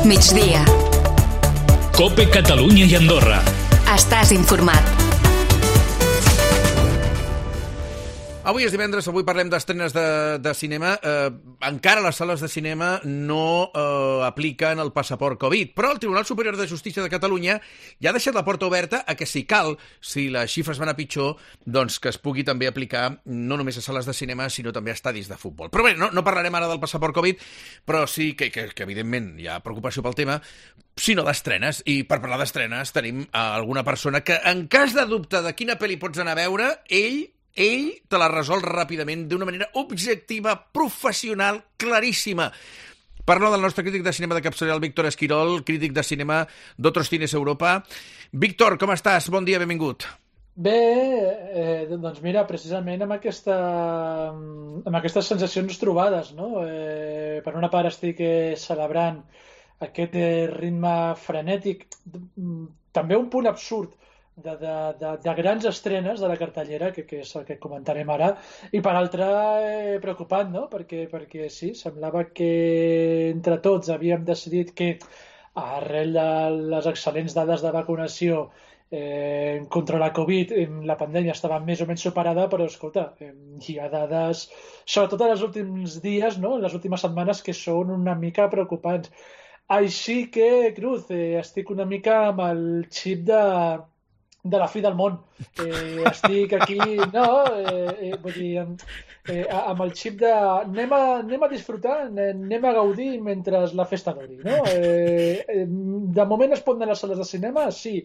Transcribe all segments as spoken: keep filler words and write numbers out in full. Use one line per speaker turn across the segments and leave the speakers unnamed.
migdia.
COPE Catalunya i Andorra.
Estàs informat.
Avui és divendres, avui parlem d'estrenes de, de cinema. Eh, encara les sales de cinema no eh, apliquen el passaport Covid, però el Tribunal Superior de Justícia de Catalunya ja ha deixat la porta oberta a que, si cal, si les xifres van a pitjor, doncs que es pugui també aplicar no només a sales de cinema, sinó també a estadis de futbol. Però bé, no, no parlarem ara del passaport Covid, però sí que, que, que evidentment hi ha preocupació pel tema, sinó d'estrenes. I per parlar d'estrenes tenim alguna persona que, en cas de dubte de quina pel·li pots anar a veure, ell... ell te la resol ràpidament, d'una manera objectiva, professional, claríssima. Parlo del nostre crític de cinema de capçalera, el Víctor Esquirol, crític de cinema d'Otros Cines Europa. Víctor, com estàs? Bon dia, benvingut.
Bé, eh, doncs mira, precisament amb, aquesta, amb aquestes sensacions trobades, no? Eh, per una part estic eh, celebrant aquest eh, ritme frenètic, també un punt absurd, De, de, de, de grans estrenes de la cartellera, que, que és el que comentarem ara, i per altra eh, preocupant, no? Perquè, perquè sí, semblava que entre tots havíem decidit que arrel de les excel·lents dades de vacunació eh, contra la Covid, la pandèmia estava més o menys superada, però escolta, eh, hi ha dades, sobretot en els últims dies, no? En les últimes setmanes, que són una mica preocupants. Així que, Cruz, eh, estic una mica amb el xip de de la fi del món. Eh, estic aquí, no, eh, eh, vull dir, eh, amb el xip de anem a, anem a disfrutar, anem a gaudir mentre la festa duri, no? Eh, eh, de moment es pot anar a les sales de cinema, sí.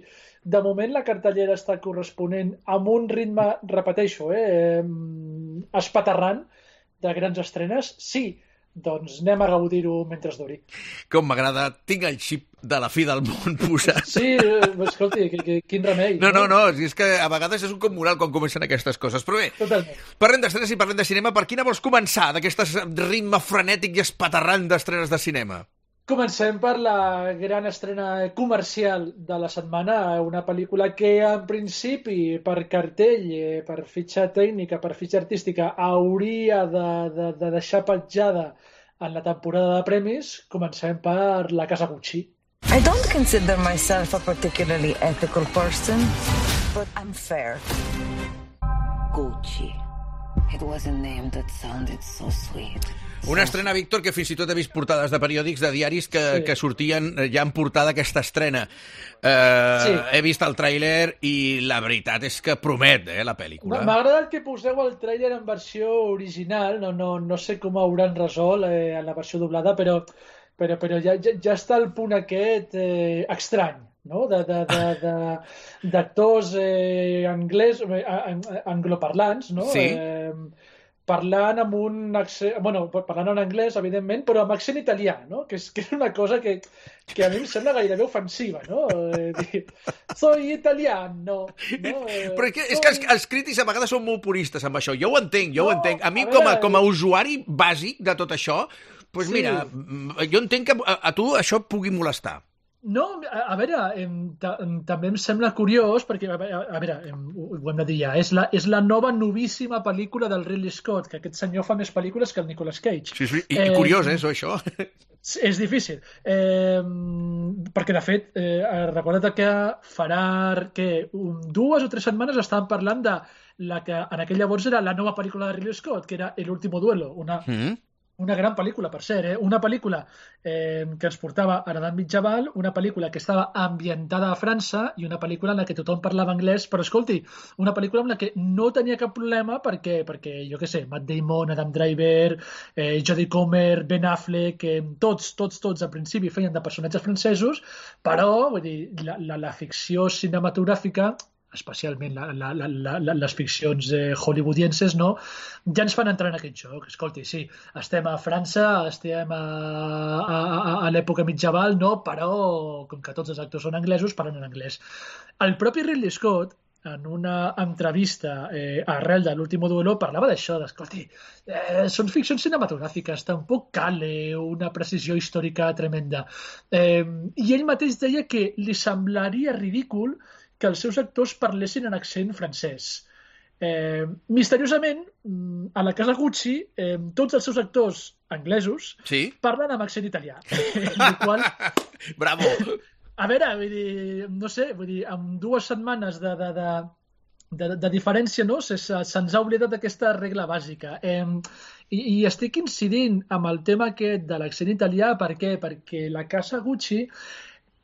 De moment la cartellera està corresponent amb un ritme, repeteixo, eh, espaterrant de grans estrenes, sí. Doncs anem a gaudir-ho mentre es duri.
Com m'agrada, tinc el xip de la fi del món posat.
Sí, escolti, que, que, quin remei.
No, no, no, és que a vegades és un cop moral quan comencen aquestes coses. Però bé,
totalment.
Parlem d'estrenes i parlem de cinema. Per quina vols començar, d'aquest ritme frenètic i espaterrant d'estrenes de cinema?
Comencem per la gran estrena comercial de la setmana, una pel·lícula que en principi per cartell, per fitxa tècnica, per fitxa artística, hauria de, de, de deixar petjada en la temporada de premis. Comencem per La Casa Gucci.
I don't consider myself a particularly ethical person, but I'm fair. Gucci. It was a name that sounded so sweet.
Una estrena, Víctor, que fins i tot he vist portades de periòdics, de diaris, que, sí. que sortien ja en portada aquesta estrena. Eh, sí. He vist el tràiler i la veritat és que promet, eh, la pel·lícula.
M'ha agradat que poseu el tràiler en versió original, no, no, no sé com hauran resolt eh, en la versió doblada, però, però, però ja, ja, ja està el punt aquest eh, estrany, no? de, de, de, de, d'actors eh, anglès, eh, angloparlants, no?
Sí.
Eh, parlant amb un accent, bueno, parlant en anglès, evidentment, però amb accent italià, no? Que és, que és una cosa que, que a mi em sembla gairebé ofensiva, no? Eh, dir, soy italiano, no? Eh,
però és que, és que els, els crítics a vegades són molt puristes amb això. Jo ho entenc, jo
no,
ho entenc. A mi, a
veure,
com, a, com a usuari bàsic de tot això, doncs
sí.
mira, jo entenc que a, a tu això et pugui molestar.
No, a, a veure, em, ta, em, també em sembla curiós, perquè, a, a, a veure, em, ho, ho hem de dir ja, és la, és la nova novíssima pel·lícula del Ridley Scott, que aquest senyor fa més pel·lícules que el Nicolas Cage.
Sí, sí, i, eh, i curiós, eh, això.
És difícil, eh, perquè de fet, eh, recorda't que farà que un, dues o tres setmanes estàvem parlant de la que en aquell llavors era la nova pel·lícula de Ridley Scott, que era El último duelo, una... Mm-hmm. Una gran pel·lícula, per cert, eh? Una pel·lícula eh, que ens portava a l'edat mitjaval, una pel·lícula que estava ambientada a França i una pel·lícula en la que tothom parlava anglès, però escolti, una pel·lícula en la que no tenia cap problema perquè, perquè jo què sé, Matt Damon, Adam Driver, eh, Jodie Comer, Ben Affleck, eh, tots, tots, tots al principi feien de personatges francesos, però vull dir, la, la, la ficció cinematogràfica, especialment la, la, la, la, les ficcions eh, hollywoodienses, no? Ja ens fan entrar en aquest joc. Escolti, sí, estem a França, estem a, a, a, a l'època mitjaval, no? Però, com que tots els actors són anglesos, parlen en anglès. El propi Ridley Scott, en una entrevista eh, arrel de l'últim duelo, parlava d'això, d'escolti, eh, són ficcions cinematogràfiques, tampoc cal eh, una precisió històrica tremenda. Eh, I ell mateix deia que li semblaria ridícul que els seus actors parlessin en accent francès. Eh, misteriosament, a la casa Gucci, eh, tots els seus actors anglesos
sí?
parlen amb accent italià. El qual...
Bravo!
A veure, vull dir, no sé, vull dir, amb dues setmanes de, de, de, de, de diferència, no? Se, se'ns ha oblidat aquesta regla bàsica. Eh, i, I estic incidint amb el tema aquest de l'accent italià, per què? Perquè la casa Gucci,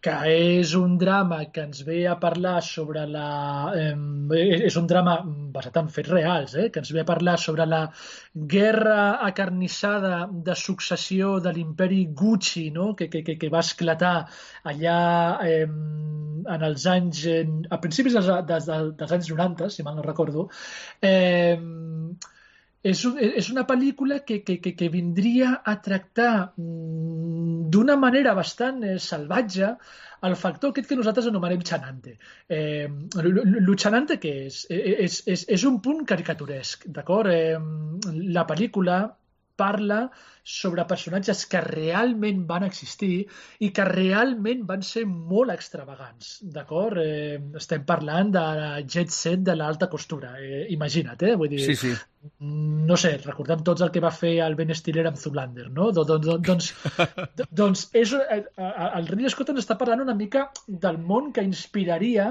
que és un drama que ens ve a parlar sobre la... Eh, és un drama basat en fets reals, eh, que ens ve a parlar sobre la guerra acarnissada de successió de l'imperi Gucci, no? que, que, que va esclatar allà eh, en els anys... Eh, a principis dels, dels, dels anys noranta, si mal no recordo. Eh, És, un, és una pel·lícula que, que, que, que vindria a tractar d'una manera bastant eh, salvatge el factor aquest que nosaltres anomenem xanante. Eh, el xanante què és? És, és? És un punt caricaturesc, d'acord? Eh, la pel·lícula parla sobre personatges que realment van existir i que realment van ser molt extravagants, d'acord? Eh, estem parlant de jet set de l'alta costura, eh, imagina't, eh? Vull dir,
sí, sí.
No sé, recordem tots el que va fer el Ben Stiller amb Zoolander, no? Doncs, doncs, doncs és, el Ridley Scott ens està parlant una mica del món que inspiraria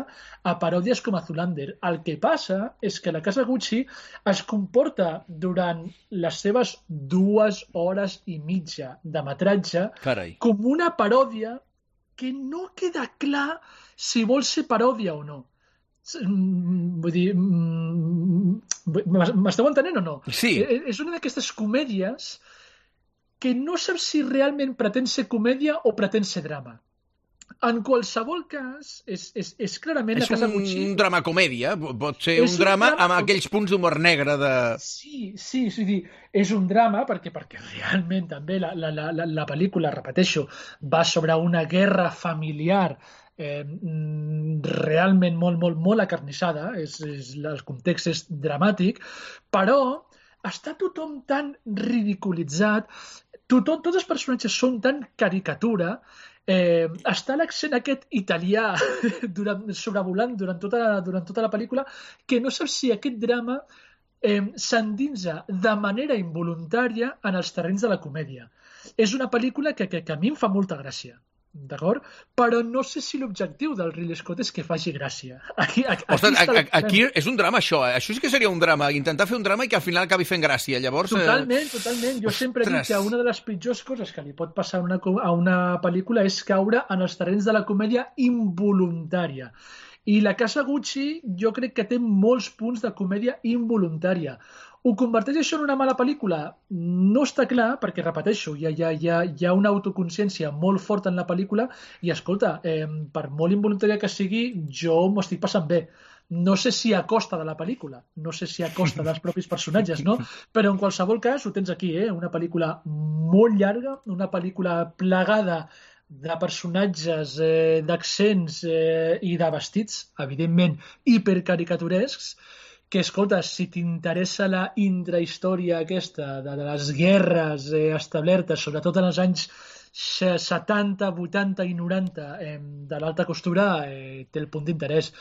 a paròdies com a Zoolander. El que passa és que la casa Gucci es comporta durant les seves dues hores i mitja de metratge
Carai.
Com una paròdia que no queda clar si vol ser paròdia o no. Vull dir, m'esteu entenent o no?
Sí.
És una d'aquestes comèdies que no saps si realment pretén ser comèdia o pretén ser drama. En qualsevol cas, és, és, és clarament
és
la casa Gucci...
És un drama-comèdia, pot ser
és
un drama,
un drama
amb aquells punts d'humor negre de...
Sí, sí, sí, sí, és un drama perquè, perquè realment també la, la, la, la pel·lícula, repeteixo, va sobre una guerra familiar eh, realment molt, molt, molt acarnissada, és, és, el context és dramàtic, però està tothom tan ridiculitzat, tothom, tots els personatges són tan caricatura, eh, està l'accent aquest italià durant, sobrevolant durant tota, durant tota la pel·lícula, que no saps si aquest drama eh, s'endinsa de manera involuntària en els terrenys de la comèdia. És una pel·lícula que, que, que a mi em fa molta gràcia. D'acord? Però no sé si l'objectiu del Ridley Scott és que faci gràcia. Aquí, aquí,
Ostres,
aquí,
aquí és un drama, això. Eh? Això sí que seria un drama, intentar fer un drama i que al final acabi fent gràcia. Llavors,
totalment, eh... totalment. Jo Ostres. sempre dic que una de les pitjors coses que li pot passar a una, a una pel·lícula és caure en els terrenys de la comèdia involuntària. I la casa Gucci jo crec que té molts punts de comèdia involuntària. Ho converteix això en una mala pel·lícula? No està clar, perquè, repeteixo, hi ha, hi ha, hi ha, hi ha una autoconsciència molt forta en la pel·lícula i, escolta, eh, per molt involuntària que sigui, jo m'ho estic passant bé. No sé si a costa de la pel·lícula, no sé si a costa dels propis personatges, no? Però en qualsevol cas ho tens aquí, eh? Una pel·lícula molt llarga, una pel·lícula plagada de personatges, eh, d'accents eh, i de vestits, evidentment, hipercaricaturescs, que, escolta, si t'interessa la intrahistòria aquesta de, de les guerres eh, establertes, sobretot en els anys setanta, vuitanta i noranta eh, de l'alta costura, eh, té el punt d'interès.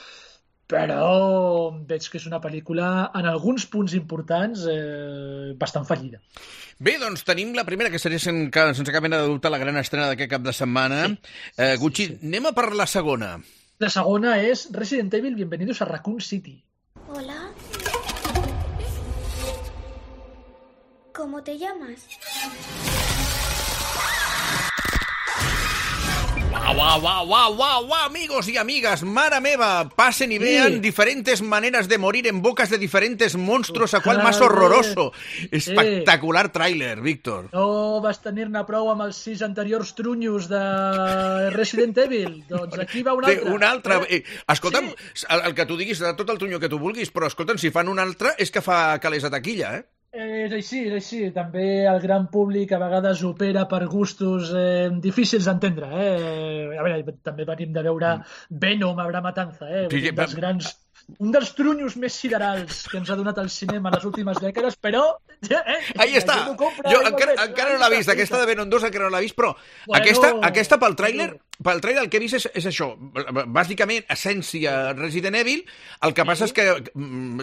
Però veig que és una pel·lícula, en alguns punts importants, eh, bastant fallida.
Bé, doncs tenim la primera, que seria sense cap mena de dubte la gran estrena d'aquest cap de setmana. Sí. Eh, Gucci, sí, sí. Anem a per la segona.
La segona és Resident Evil, Bienvenidos a Raccoon City.
Hola. ¿Cómo te llamas?
Guau, guau, guau, guau, guau, guau, amigos y amigas, mare meva, pasen y vean sí. diferentes maneras de morir en bocas de diferentes monstruos, a cual más horroroso. Espectacular sí. tráiler, Víctor.
No vas tenir-ne prou amb els sis anteriors trunyos de Resident Evil? Doncs aquí va un altre.
Un altre. Eh? Escolta'm, sí. el, el que tu diguis, de tot el trunyo que tu vulguis, però escolta'm, si fan un altre és que fa calés a taquilla, eh?
És així, és així. També el gran públic a vegades opera per gustos eh, difícils d'entendre. Eh? A veure, també venim de veure Venom, Habrá Matanza, eh? Sí, sí, dels grans un dels trunyos més siderals que ens ha donat el cinema les últimes dècades, però... Eh,
Ahí està!
Compra,
jo encara, encara no l'ha vist, aquesta de Venom dos encara no l'ha vist, però bueno, aquesta, aquesta pel tràiler, pel tràiler el que he vist és, és això, bàsicament, essència Resident Evil, el que passa és que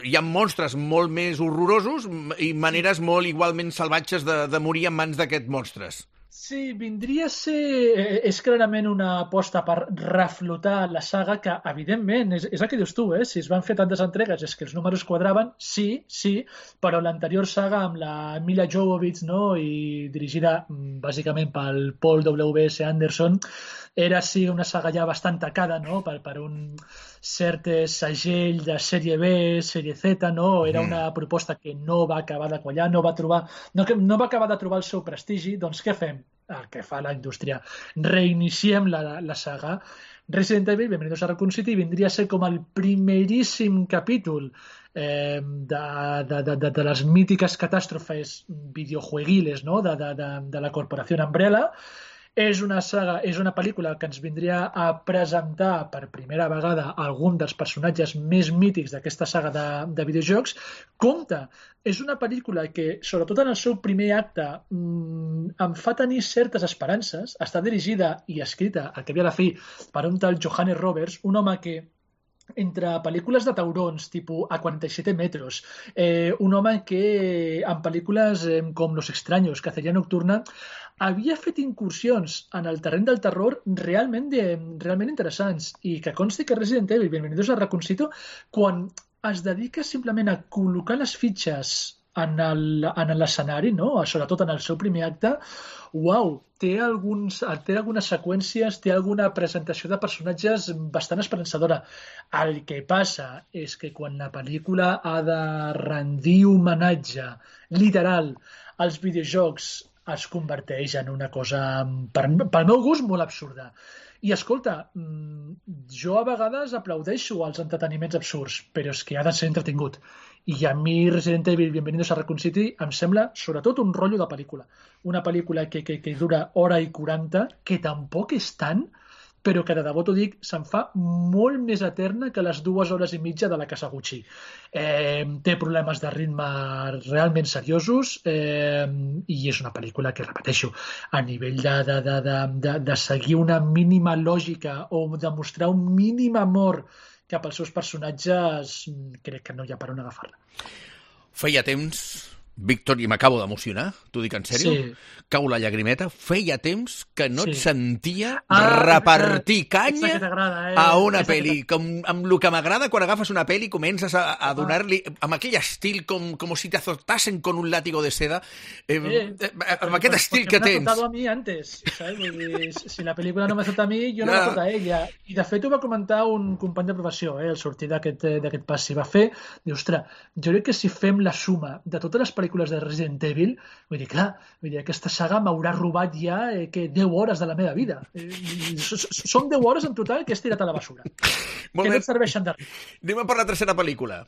hi ha monstres molt més horrorosos i maneres molt igualment salvatges de, de morir en mans d'aquests monstres.
Sí, vindria a ser... És clarament una aposta per reflotar la saga que, evidentment, és, és el que dius tu, eh? Si es van fer tantes entregues és que els números quadraven, sí, sí, però l'anterior saga amb la Mila Jovovich, no?, i dirigida bàsicament pel Paul W S Anderson, era sí una saga ja bastant tacada, no?, per, per un cert segell de sèrie B, sèrie Z, no? Era una proposta que no va acabar de quallar, no va trobar, no, no va acabar de trobar el seu prestigi, doncs què fem? El que fa la indústria. Reiniciem la, la saga. Resident Evil, Bienvenidos a Raccoon City, vindria a ser com el primeríssim capítol eh, de, de, de, de, de les mítiques catàstrofes videojueguiles, no?, de, de, de, de la corporació Umbrella. És una saga, és una pel·lícula que ens vindria a presentar per primera vegada algun dels personatges més mítics d'aquesta saga de, de videojocs. Compte, és una pel·lícula que, sobretot en el seu primer acte, mmm, em fa tenir certes esperances. Està dirigida i escrita, al cap i a la fi, per un tal Johannes Roberts, un home que entre pel·lícules de taurons, tipus A quaranta-set metros, eh, un home que en pel·lícules eh, com Los Extraños, Cacería Nocturna, havia fet incursions en el terreny del terror realment, de, realment interessants, i que consti que Resident Evil, Bienvenidos a Raccoon City, quan es dedica simplement a col·locar les fitxes en l'escenari, no?, sobretot en el seu primer acte, uau, té, alguns, té algunes seqüències, té alguna presentació de personatges bastant esperançadora. El que passa és que quan la pel·lícula ha de rendir homenatge literal als videojocs, es converteix en una cosa, per, pel meu gust, molt absurda. I escolta, jo a vegades aplaudeixo els entreteniments absurds, però és que ha de ser entretingut. I a mi Resident Evil, Bienvenidos a Raccoon City, em sembla sobretot un rotllo de pel·lícula. Una pel·lícula que, que, que dura hora i quaranta, que tampoc és tant, però que de debò t'ho dic, se'n fa molt més eterna que les dues hores i mitja de la Casa Gucci. Eh, té problemes de ritme realment seriosos eh, i és una pel·lícula que, repeteixo, a nivell de, de, de, de, de, de seguir una mínima lògica o de mostrar un mínim amor cap als seus personatges, crec que no hi ha per on agafar-la.
Feia temps, Víctor, i m'acabo d'emocionar, t'ho dic en sèrio, sí. Cau la llagrimeta, feia temps que no sí. et sentia ah, repartir ah, canya eh? a una pel·li, com, amb el que m'agrada quan agafes una pel·li comences a, a donar-li, amb aquell estil com, com si te azotasen con un látigo de seda, eh, eh, amb aquest estil que tens.
Porque me ha azotado a mi antes, ¿sabes? Dir, si la pel·lícula no m'azota a mi, jo no ah. m'azota a ella. I de fet ho va comentar un company de professió, eh, al sortir d'aquest pas. Si va fer, diu, ostres, jo crec que si fem la suma de totes les pel·lícules de Resident Evil, vull dir, clar, vull dir, aquesta saga m'haurà robat ja eh, que deu hores de la meva vida. Eh, són deu hores en total que he tirat a la basura. Molt que no et serveixen de res.
Anem a per la tercera pel·lícula.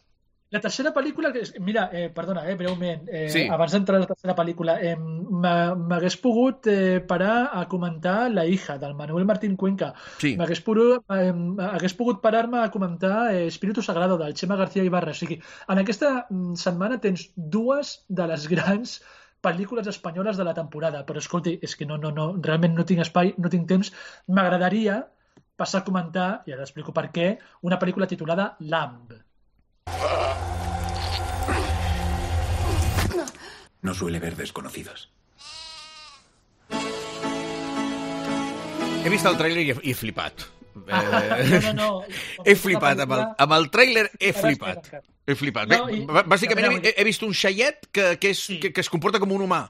La tercera pel·lícula, mira, eh, perdona, eh, breument, eh, sí. abans d'entrar a la tercera pel·lícula, eh, m'hagués pogut eh, parar a comentar La hija, del Manuel Martín Cuenca. Sí. M'hagués pogut, eh, hagués pogut parar-me a comentar eh, Espíritu Sagrado, del Chema García Ibarra. O sigui, en aquesta setmana tens dues de les grans pel·lícules espanyoles de la temporada, però escolti, és que no, no, no, realment no tinc espai, no tinc temps. M'agradaria passar a comentar, i ara explico per què, una pel·lícula titulada Lamb.
No suele ver desconocidos.
He vist el tràiler i he, he flipat.
Ah, no, no, no.
He flipat, amb el, amb el tràiler he flipat. He flipat. No, i, Bàsicament he, he vist un xaiet que, que, és, sí. que, que es comporta com un humà.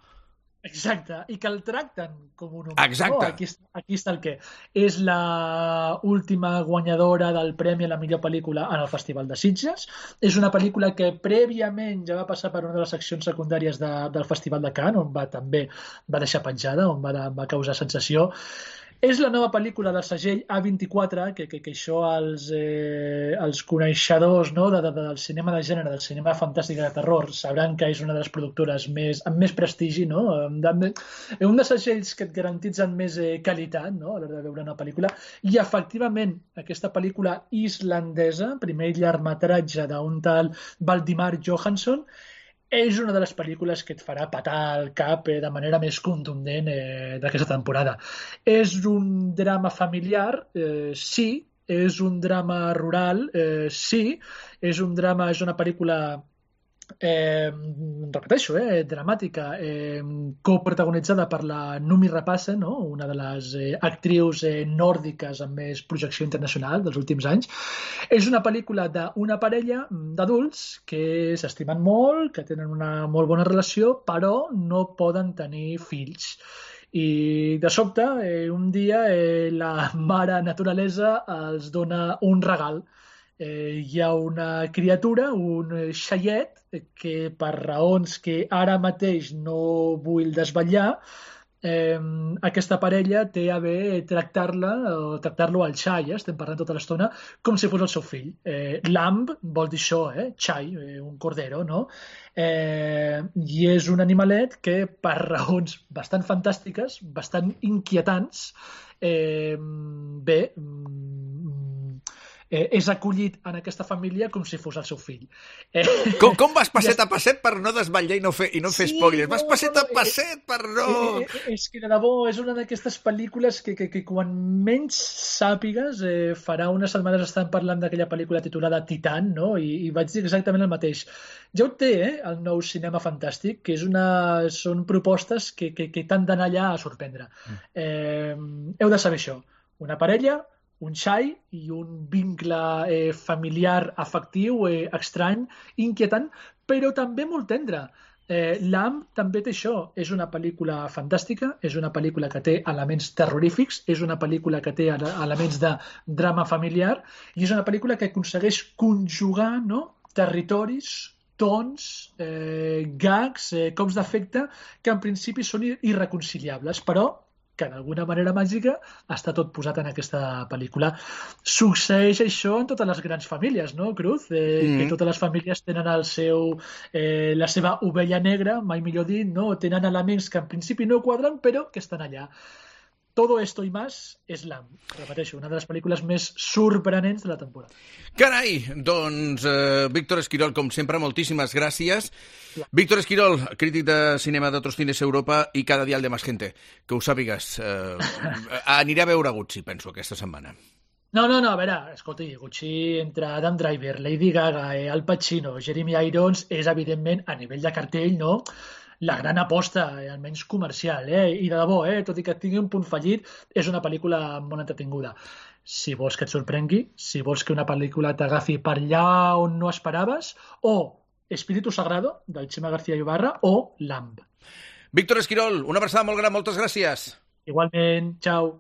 Exacte, i que el tracten com un humà.
Exacte.
No, aquí, aquí està el què. És la última guanyadora del premi a la millor pel·lícula en el Festival de Sitges. És una pel·lícula que prèviament ja va passar per una de les seccions secundàries de, del Festival de Cannes, on va també va deixar penjada, on va, va causar sensació. És la nova pel·lícula del segell A vint-i-quatre, que, que, que això els, eh, els coneixedors, no, de, de, del cinema de gènere, del cinema fantàstic de terror, sabran que és una de les productores més, amb més prestigi, no? De, un dels segells que et garantitzen més eh, qualitat, no?, a l'hora de veure una pel·lícula. I efectivament, aquesta pel·lícula islandesa, primer llargmetratge d'un tal Valdimar Jóhannsson, és una de les pel·lícules que et farà patar el cap eh, de manera més contundent eh, d'aquesta temporada. És un drama familiar, eh, sí, és un drama rural, eh, sí, és un drama, és una pel·lícula Eh, repeteixo, eh, dramàtica, eh, coprotagonitzada per la Noomi Rapace, no? Una de les eh, actrius eh, nòrdiques amb més projecció internacional dels últims anys. És una pel·lícula d'una parella d'adults que s'estimen molt, que tenen una molt bona relació, però no poden tenir fills. I de sobte, eh, un dia, eh, la mare naturalesa els dona un regal. Eh, hi ha una criatura, un xaiet, que per raons que ara mateix no vull desvetllar, eh, aquesta parella té a bé tractar-la o tractar-lo al xai, eh? Estem parlant tota l'estona com si fos el seu fill. Eh, lamb vol dir això, eh? Xai, eh, un cordero, no? Eh, I és un animalet que per raons bastant fantàstiques, bastant inquietants, eh, bé, Eh, és acollit en aquesta família com si fos el seu fill. Eh,
com, com vas passet a passet per no desvetllar i no fer, i no fer
sí,
spoilers? Vas
no,
passet
no,
a passet per no...
Eh, eh, és que de debò és una d'aquestes pel·lícules que, que, que quan menys sàpigues, eh, farà unes setmanes estan parlant d'aquella pel·lícula titulada Titan, no? I, i vaig dir exactament el mateix. Ja ho té, eh, el nou cinema fantàstic, que és una... són propostes que, que, que t'han d'anar allà a sorprendre. Eh, heu de saber això. Una parella, un xai i un vincle eh, familiar afectiu, eh, estrany, inquietant, però també molt tendre. Eh, Lamb també té això. És una pel·lícula fantàstica, és una pel·lícula que té elements terrorífics, és una pel·lícula que té elements de drama familiar i és una pel·lícula que aconsegueix conjugar, no?, territoris, tons, eh, gags, eh, cops d'efecte que en principi són irreconciliables, però que d'alguna manera màgica està tot posat en aquesta pel·lícula. Succeeix això en totes les grans famílies, no, Cruz? Eh, mm. Que totes les famílies tenen el seu, eh, la seva ovella negra, mai millor dit, no? Tenen elements que en principi no quadren, però que estan allà. Todo esto y más és Lamb. Repeteixo, una de les pel·lícules més sorprenents de la temporada.
Carai! Doncs, eh, Víctor Esquirol, com sempre, moltíssimes gràcies. Ja. Víctor Esquirol, crític de cinema d'Otros Cines Europa i cada dial de Más Gente. Que ho sàpigues. Eh, aniré a veure Gucci, penso, aquesta setmana.
No, no, no, a veure, escolti, Gucci entre Adam Driver, Lady Gaga, eh, Al Pacino, Jeremy Irons, és evidentment, a nivell de cartell, no?, la gran aposta, eh, almenys comercial, eh? I de debò, eh? Tot i que tingui un punt fallit, és una pel·lícula molt entretinguda. Si vols que et sorprengui, si vols que una pel·lícula t'agafi per allà on no esperaves, o Espíritu Sagrado, del Chema García Ibarra, o Lamb.
Víctor Esquirol, una abraçada molt gran, moltes gràcies.
Igualment, ciao.